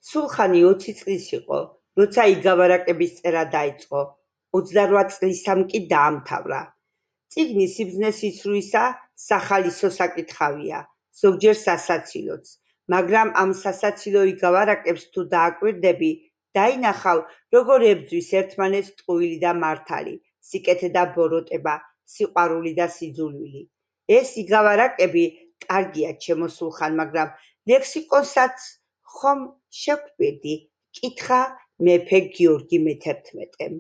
სულხანი 20 წლის იყო, როცა იგავარაკების წერა დაიწყო, 28 წლისამ კი დაამთავრა. წიგნი სიბრძნეს იცრუისა სახალისო საკითხავია, ზოგჯერ სასაცილოც, მაგრამ ამ სასაცილო იგავარაკებს თუ დააკვირდები, დაინახავ, როგორ ებრძვის ერთმანეთს ტყუილი და მართალი, სიკეთე და ბოროტება, სიყვარული და სიძულვილი. ეს იგავარაკები კარგია ჩემო სულხან, მაგრამ ლექსიკონსაც ხომ შევკვირდი? კითხა მეფე გიორგი მე-11.